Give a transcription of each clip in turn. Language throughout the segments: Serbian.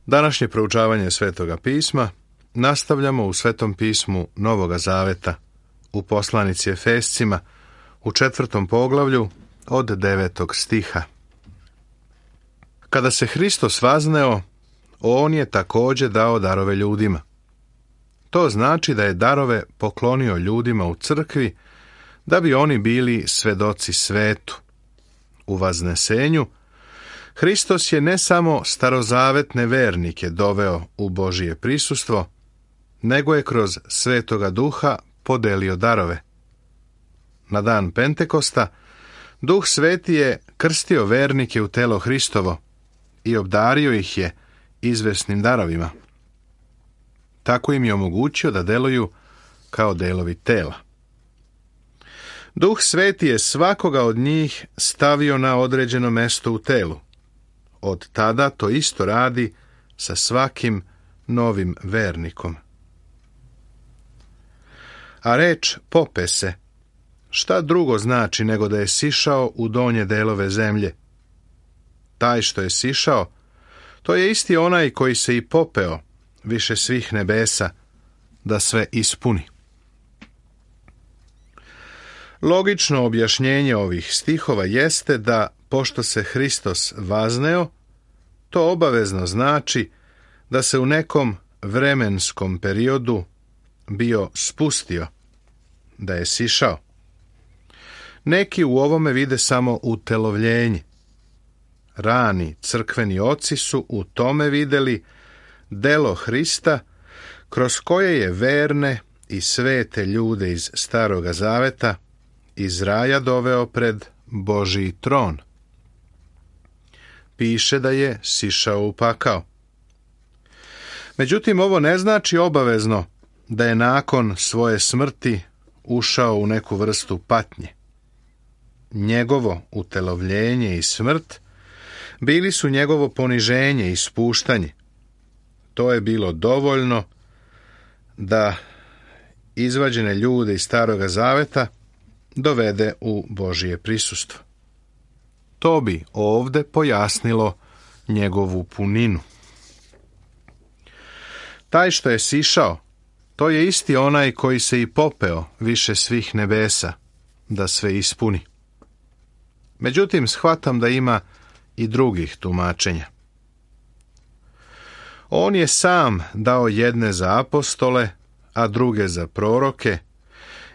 Današnje proučavanje Svetoga pisma nastavljamo u Svetom pismu Novoga Zaveta, u poslanici Efescima, u 4. poglavlju od 9. stiha. Kada se Hristos vazneo, on je također dao darove ljudima. To znači da je darove poklonio ljudima u crkvi, da bi oni bili svedoci svetu. U vaznesenju Hristos je ne samo starozavetne vernike doveo u Božije prisustvo, nego je kroz Svetoga Duha podelio darove. Na dan Pentekosta Duh Sveti je krstio vernike u telo Hristovo i obdario ih je izvesnim darovima. Tako im je omogućio da deluju kao delovi tela. Duh Sveti je svakoga od njih stavio na određeno mesto u telu. Od tada to isto radi sa svakim novim vernikom. A reč pope se, šta drugo znači nego da je sišao u donje delove zemlje? Taj što je sišao, to je isti onaj koji se i popeo više svih nebesa, da sve ispuni. Logično objašnjenje ovih stihova jeste da, pošto se Hristos vazneo, to obavezno znači da se u nekom vremenskom periodu bio spustio, da je sišao. Neki u ovome vide samo utelovljenje. Rani crkveni oci su u tome vidjeli delo Hrista, kroz koje je verne i svete ljude iz Staroga Zaveta iz raja doveo pred Božji tron. Piše da je sišao u pakao. Međutim, ovo ne znači obavezno da je nakon svoje smrti ušao u neku vrstu patnje. Njegovo utelovljenje i smrt bili su njegovo poniženje i spuštanje. To je bilo dovoljno da izvađene ljude iz Staroga Zaveta dovede u Božje prisustvo. To bi ovde pojasnilo njegovu puninu. Taj što je sišao, to je isti onaj koji se i popeo više svih nebesa, da sve ispuni. Međutim, shvatam da ima i drugih tumačenja. On je sam dao jedne za apostole, a druge za proroke,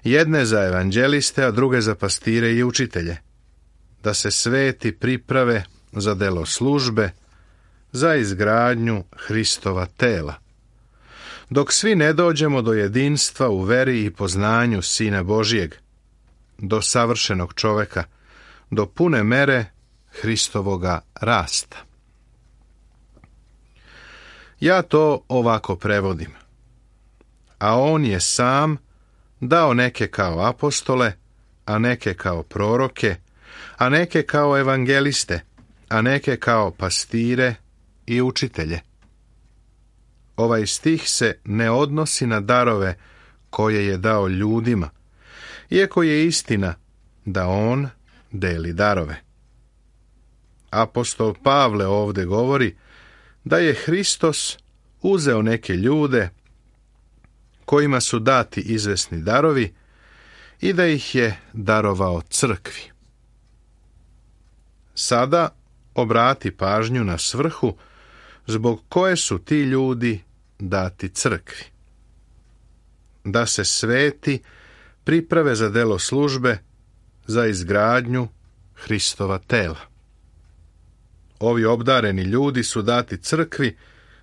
jedne za evanđeliste, a druge za pastire i učitelje, da se sveti priprave za delo službe, za izgradnju Hristova tela, dok svi ne dođemo do jedinstva u veri i poznanju Sina Božijeg, do savršenog čoveka, do pune mere Hristovoga rasta. Ja to ovako prevodim. A on je sam dao neke kao apostole, a neke kao proroke, a neke kao evangeliste, a neke kao pastire i učitelje. Ovaj stih se ne odnosi na darove koje je dao ljudima, iako je istina da on deli darove. Apostol Pavle ovdje govori da je Hristos uzeo neke ljude kojima su dati izvesni darovi i da ih je darovao crkvi. Sada obrati pažnju na svrhu zbog koje su ti ljudi dati crkvi. Da se sveti priprave za delo službe, za izgradnju Hristova tela. Ovi obdareni ljudi su dati crkvi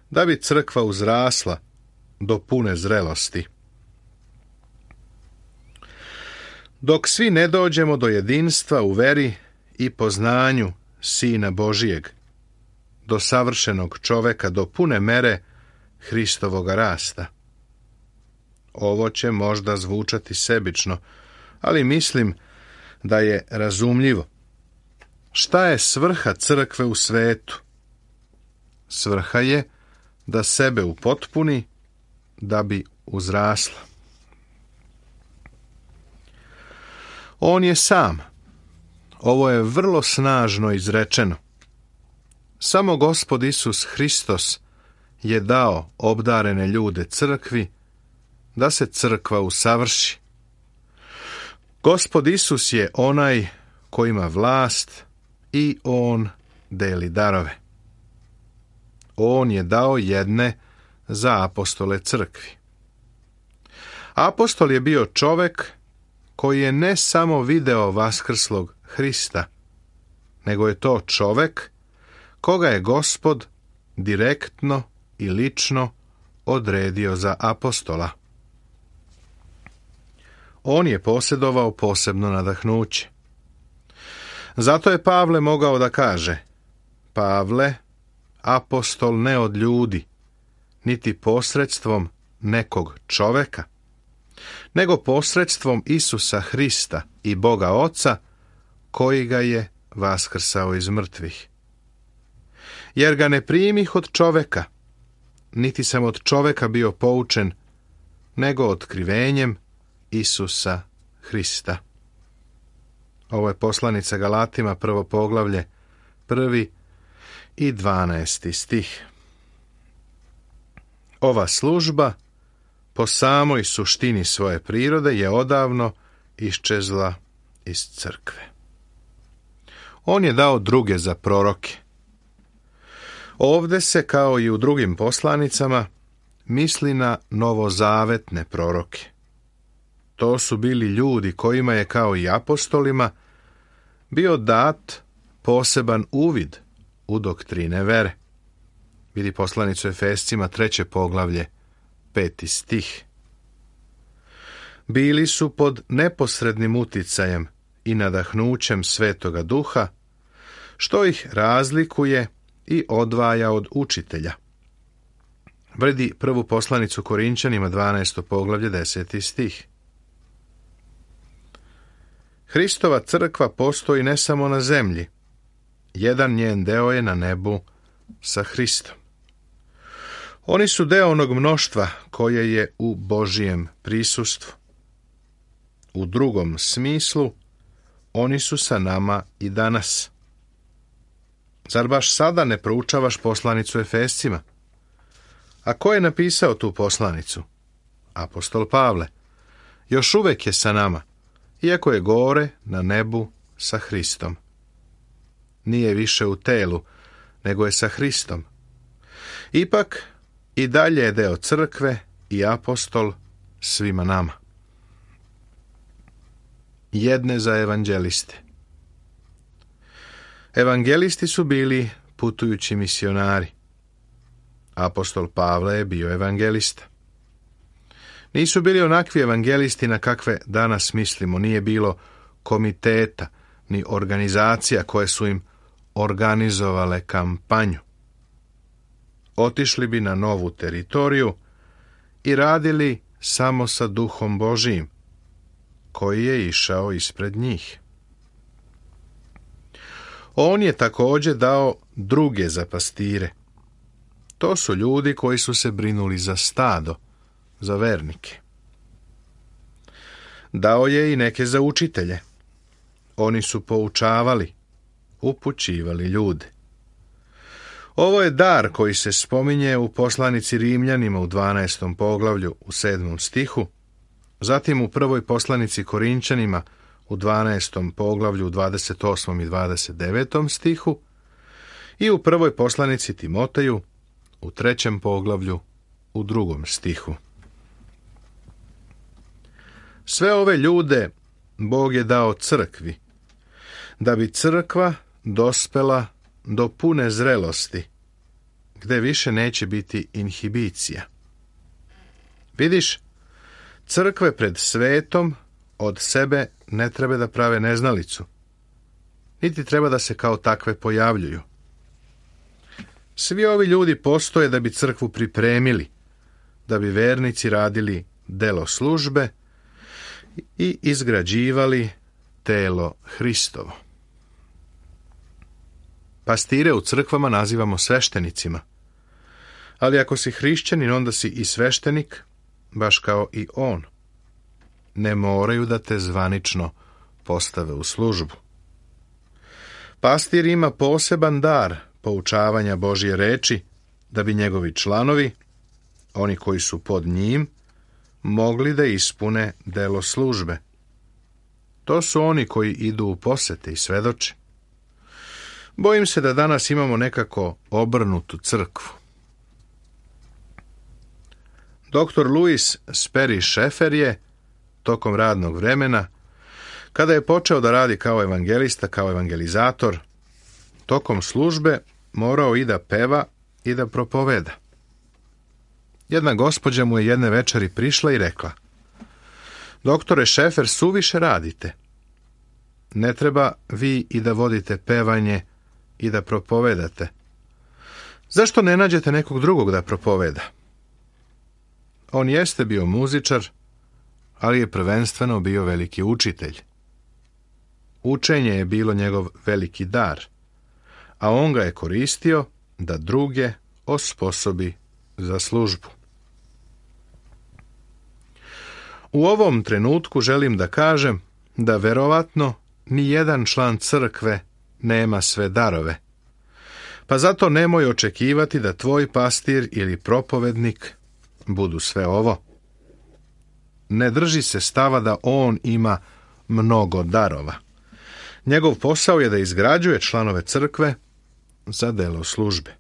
da bi crkva uzrasla do pune zrelosti. Dok svi ne dođemo do jedinstva u veri i poznanju Sina Božijeg, do savršenog čoveka, do pune mere Hristovoga rasta. Ovo će možda zvučati sebično, ali mislim da je razumljivo. Šta je svrha crkve u svetu? Svrha je da sebe upotpuni, da bi uzrasla. On je sam. Ovo je vrlo snažno izrečeno. Samo Gospod Isus Hristos je dao obdarene ljude crkvi, da se crkva usavrši. Gospod Isus je onaj ko ima vlast i on deli darove. On je dao jedne za apostole crkvi. Apostol je bio čovek koji je ne samo video vaskrslog Hrista, nego je to čovek koga je Gospod direktno i lično odredio za apostola. On je posjedovao posebno nadahnuće. Zato je Pavle mogao da kaže: Pavle, apostol ne od ljudi, niti posredstvom nekog čoveka, nego posredstvom Isusa Hrista i Boga Oca, koji ga je vaskrsao iz mrtvih. Jer ga ne primih od čoveka, niti sam od čoveka bio poučen, nego otkrivenjem Isusa Hrista. Ovo je poslanica Galatima, 1. poglavlje, 1. i 12. stih. Ova služba, po samoj suštini svoje prirode, je odavno iščezla iz crkve. On je dao druge za proroke. Ovde se, kao i u drugim poslanicama, misli na novozavetne proroke. To su bili ljudi kojima je, kao i apostolima, bio dat poseban uvid u doktrine vere. Vidi poslanicu Efescima, 3. poglavlje, 5. stih. Bili su pod neposrednim uticajem i nadahnućem Svetoga Duha, što ih razlikuje i odvaja od učitelja. Vidi prvu poslanicu Korinčanima, 12. poglavlje, 10. stih. Hristova crkva postoji ne samo na zemlji. Jedan njen deo je na nebu sa Hristom. Oni su deo onog mnoštva koje je u Božijem prisustvu. U drugom smislu, oni su sa nama i danas. Zar baš sada ne proučavaš poslanicu Efescima? A ko je napisao tu poslanicu? Apostol Pavle. Još uvek je sa nama, iako je gore na nebu sa Hristom. Nije više u telu, nego je sa Hristom. Ipak, i dalje je deo crkve i apostol svima nama. Jedne za evanđeliste. Evangelisti su bili putujući misionari. Apostol Pavle je bio evangelista. Nisu bili onakvi evangelisti na kakve danas mislimo. Nije bilo komiteta ni organizacija koje su im organizovale kampanju. Otišli bi na novu teritoriju i radili samo sa Duhom Božijim, koji je išao ispred njih. On je također dao druge za pastire. To su ljudi koji su se brinuli za stado, za vernike. Dao je i neke za učitelje. Oni su poučavali, upućivali ljude. Ovo je dar koji se spominje u poslanici Rimljanima u 12. poglavlju u 7. stihu, zatim u prvoj poslanici Korinčanima u 12. poglavlju u 28. i 29. stihu i u prvoj poslanici Timoteju u 3. poglavlju u 2. stihu. Sve ove ljude Bog je dao crkvi, da bi crkva dospela do pune zrelosti, gde više neće biti inhibicija. Vidiš, crkve pred svetom od sebe ne treba da prave neznalicu, niti treba da se kao takve pojavljuju. Svi ovi ljudi postoje da bi crkvu pripremili, da bi vernici radili delo službe i izgrađivali telo Hristovo. Pastire u crkvama nazivamo sveštenicima, ali ako si hrišćanin, onda si i sveštenik, baš kao i on. Ne moraju da te zvanično postave u službu. Pastir ima poseban dar poučavanja Božje reči da bi njegovi članovi, oni koji su pod njim, mogli da ispune delo službe. To su oni koji idu u posete i svedoče. Bojim se da danas imamo nekako obrnutu crkvu. Dr. Louis Sperry Schaeffer je, tokom radnog vremena, kada je počeo da radi kao evangelista, kao evangelizator, tokom službe morao i da peva i da propoveda. Jedna gospođa mu je jedne večeri prišla i rekla: Doktore Schaeffer, suviše radite. Ne treba vi i da vodite pevanje i da propovedate. Zašto ne nađete nekog drugog da propoveda? On jeste bio muzičar, ali je prvenstveno bio veliki učitelj. Učenje je bilo njegov veliki dar, a on ga je koristio da druge osposobi za službu. U ovom trenutku želim da kažem da verovatno ni jedan član crkve nema sve darove, pa zato nemoj očekivati da tvoj pastir ili propovednik budu sve ovo. Ne drži se stava da on ima mnogo darova. Njegov posao je da izgrađuje članove crkve za delo službe.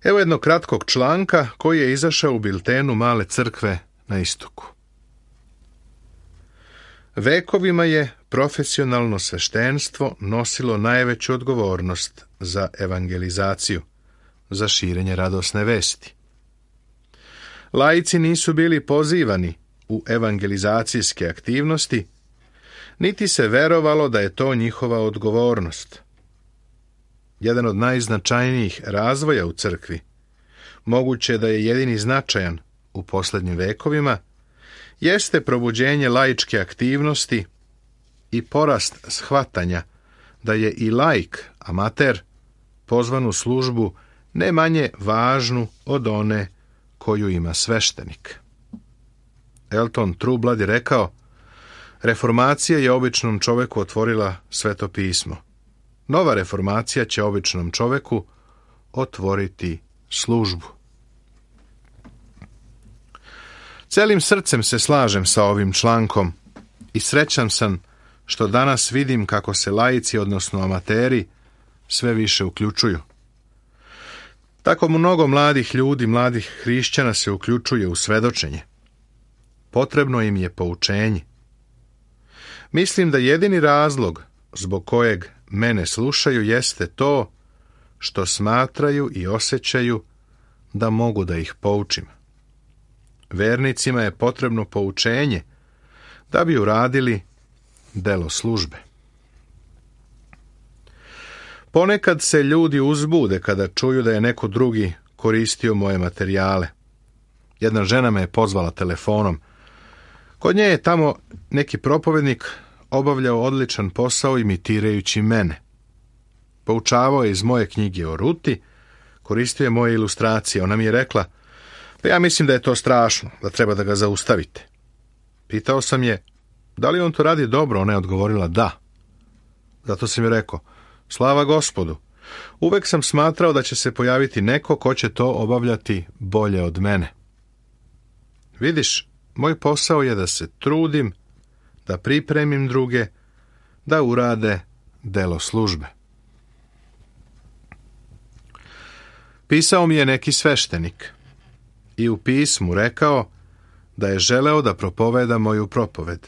Evo jednog kratkog članka koji je izašao u biltenu Male crkve na istoku. Vekovima je profesionalno sveštenstvo nosilo najveću odgovornost za evangelizaciju, za širenje radosne vesti. Laici nisu bili pozivani u evangelizacijske aktivnosti, niti se verovalo da je to njihova odgovornost. Jedan od najznačajnijih razvoja u crkvi, moguće da je jedini značajan u posljednjim vekovima, jeste probuđenje laičke aktivnosti i porast shvatanja da je i laik, amater, pozvan u službu ne manje važnu od one koju ima sveštenik. Elton Trublad je rekao: reformacija je običnom čoveku otvorila Sveto pismo. Nova reformacija će običnom čoveku otvoriti službu. Celim srcem se slažem sa ovim člankom i srećan sam što danas vidim kako se laici, odnosno amateri, sve više uključuju. Tako mnogo mladih ljudi, mladih hrišćana se uključuje u svedočenje. Potrebno im je poučenje. Mislim da jedini razlog zbog kojeg mene slušaju jeste to što smatraju i osjećaju da mogu da ih poučim. Vernicima je potrebno poučenje da bi uradili delo službe. Ponekad se ljudi uzbude kada čuju da je neko drugi koristio moje materijale. Jedna žena me je pozvala telefonom. Kod nje je tamo neki propovednik obavljao odličan posao imitirajući mene. Poučavao je iz moje knjige o Ruti, koristio je moje ilustracije. Ona mi je rekla: pa ja mislim da je to strašno, da treba da ga zaustavite. Pitao sam je: da li on to radi dobro? Ona je odgovorila: da. Zato sam je rekao: slava Gospodu, uvek sam smatrao da će se pojaviti neko ko će to obavljati bolje od mene. Vidiš, moj posao je da se trudim, da pripremim druge, da urade delo službe. Pisao mi je neki sveštenik i u pismu rekao da je želeo da propoveda moju propoved.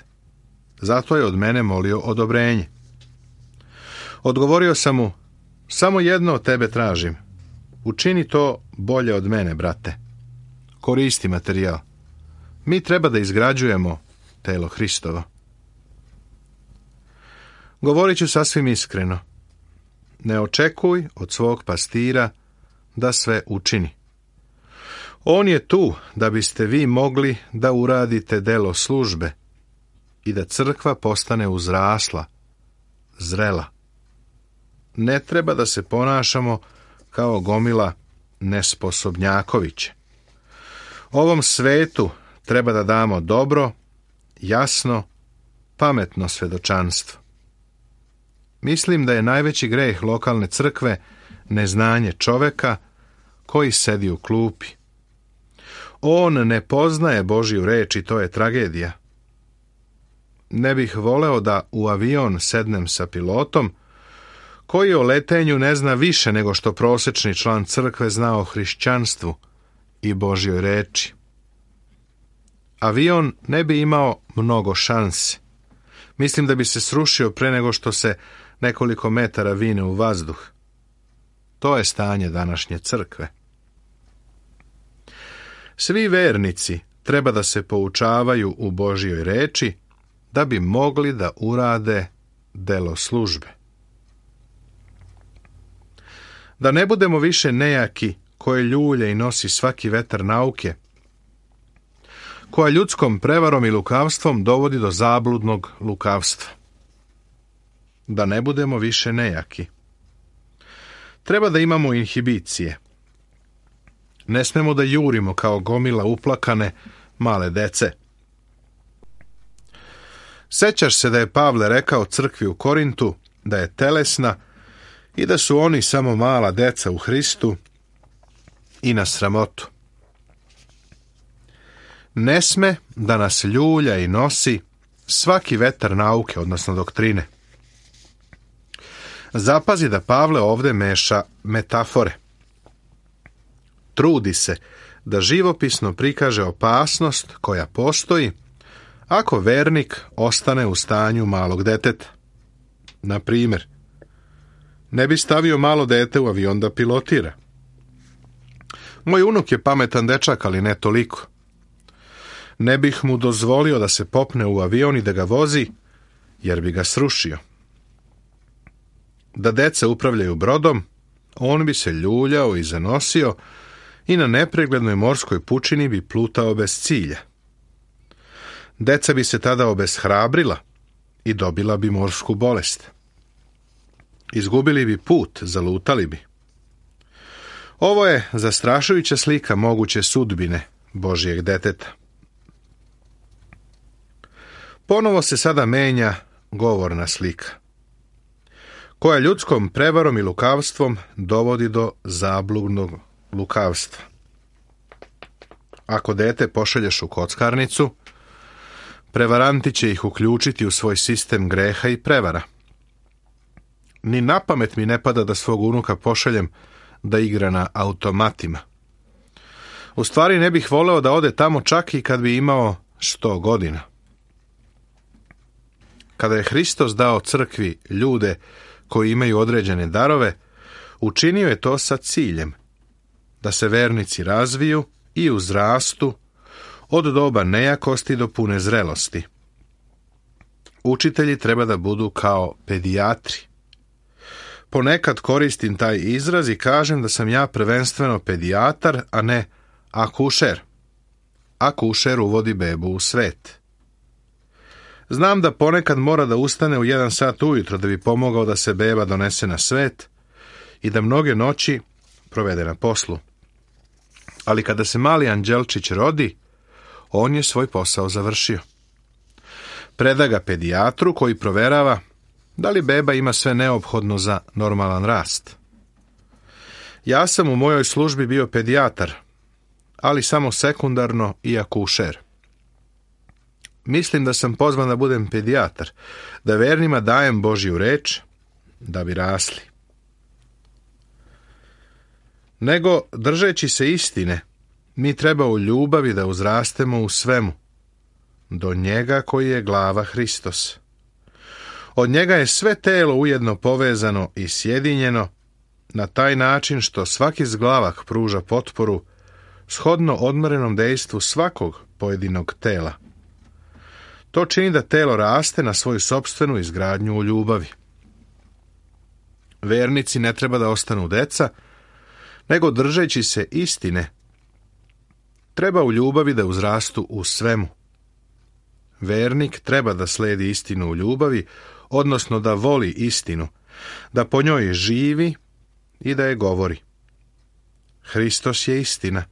Zato je od mene molio odobrenje. Odgovorio sam mu: samo jedno od tebe tražim. Učini to bolje od mene, brate. Koristi materijal. Mi treba da izgrađujemo telo Hristovo. Govorit ću sasvim iskreno. Ne očekuj od svog pastira da sve učini. On je tu da biste vi mogli da uradite delo službe i da crkva postane uzrasla, zrela. Ne treba da se ponašamo kao gomila nesposobnjakoviće. Ovom svetu treba da damo dobro, jasno, pametno svedočanstvo. Mislim da je najveći greh lokalne crkve neznanje čoveka koji sedi u klupi. On ne poznaje Božju reč i to je tragedija. Ne bih voleo da u avion sednem sa pilotom koji o letenju ne zna više nego što prosječni član crkve zna o hrišćanstvu i Božjoj reči. Avion ne bi imao mnogo šanse. Mislim da bi se srušio pre nego što se nekoliko metara vine u vazduh. To je stanje današnje crkve. Svi vernici treba da se poučavaju u Božjoj reči da bi mogli da urade delo službe. Da ne budemo više nejaki koje ljulje i nosi svaki vetar nauke, koja ljudskom prevarom i lukavstvom dovodi do zabludnog lukavstva. Da ne budemo više nejaki. Treba da imamo inhibicije. Ne smemo da jurimo kao gomila uplakane male dece. Sećaš se da je Pavle rekao crkvi u Korintu da je telesna i da su oni samo mala deca u Hristu i na sramotu. Ne sme da nas ljulja i nosi svaki vetar nauke, odnosno doktrine. Zapazi da Pavle ovde meša metafore. Trudi se da živopisno prikaže opasnost koja postoji ako vernik ostane u stanju malog deteta. Na primjer, ne bi stavio malo dete u avion da pilotira. Moj unuk je pametan dečak, ali ne toliko. Ne bih mu dozvolio da se popne u avion i da ga vozi, jer bi ga srušio. Da deca upravljaju brodom, on bi se ljuljao i zanosio i na nepreglednoj morskoj pučini bi plutao bez cilja. Deca bi se tada obeshrabrila i dobila bi morsku bolest. Izgubili bi put, zalutali bi. Ovo je zastrašujuća slika moguće sudbine Božjeg deteta. Ponovo se sada menja govorna slika, koja ljudskom prevarom i lukavstvom dovodi do zabludnog lukavstva. Ako dete pošalješ u kockarnicu, prevaranti će ih uključiti u svoj sistem greha i prevara. Ni na pamet mi ne pada da svog unuka pošaljem da igra na automatima. U stvari ne bih voleo da ode tamo čak i kad bi imao 100 godina. Kada je Hristos dao crkvi ljude koji imaju određene darove, učinio je to sa ciljem da se vernici razviju i uzrastu od doba nejakosti do pune zrelosti. Učitelji treba da budu kao pedijatri. Ponekad koristim taj izraz i kažem da sam ja prvenstveno pedijatar, a ne akušer. Akušer uvodi bebu u svet. Znam da ponekad mora da ustane u 1 sat ujutro da bi pomogao da se beba donese na svet i da mnoge noći provede na poslu. Ali kada se mali anđelčić rodi, on je svoj posao završio. Preda ga pedijatru koji proverava da li beba ima sve neophodno za normalan rast. Ja sam u mojoj službi bio pedijatar, ali samo sekundarno i akušer. Mislim da sam pozvan da budem pedijatar, da vernima dajem Božju reč, da bi rasli. Nego, držeći se istine, mi treba u ljubavi da uzrastemo u svemu, do njega koji je glava Hristos. Od njega je sve telo ujedno povezano i sjedinjeno na taj način što svaki zglavak pruža potporu shodno odmerenom dejstvu svakog pojedinog tela. To čini da telo raste na svoju sopstvenu izgradnju u ljubavi. Vernici ne treba da ostanu deca, nego držeći se istine, treba u ljubavi da uzrastu u svemu. Vernik treba da sledi istinu u ljubavi, odnosno da voli istinu, da po njoj živi i da je govori. Hristos je istina,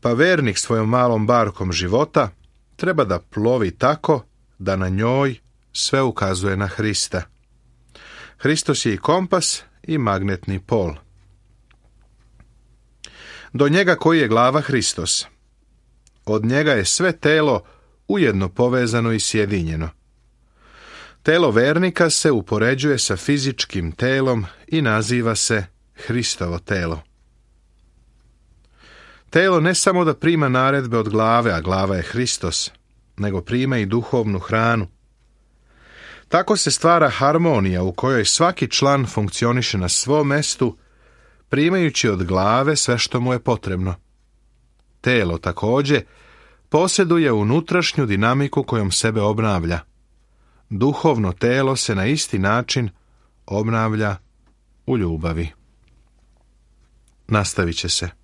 pa vernik svojom malom barkom života treba da plovi tako da na njoj sve ukazuje na Hrista. Hristos je i kompas i magnetni pol. do njega koji je glava Hristos. Od njega je sve telo ujedno povezano i sjedinjeno. Telo vernika se upoređuje sa fizičkim telom i naziva se Hristovo telo. Telo ne samo da prima naredbe od glave, a glava je Hristos, nego prima i duhovnu hranu. Tako se stvara harmonija u kojoj svaki član funkcioniše na svom mestu, primajući od glave sve što mu je potrebno. Telo također posjeduje unutrašnju dinamiku kojom sebe obnavlja. Duhovno telo se na isti način obnavlja u ljubavi. Nastavit će se.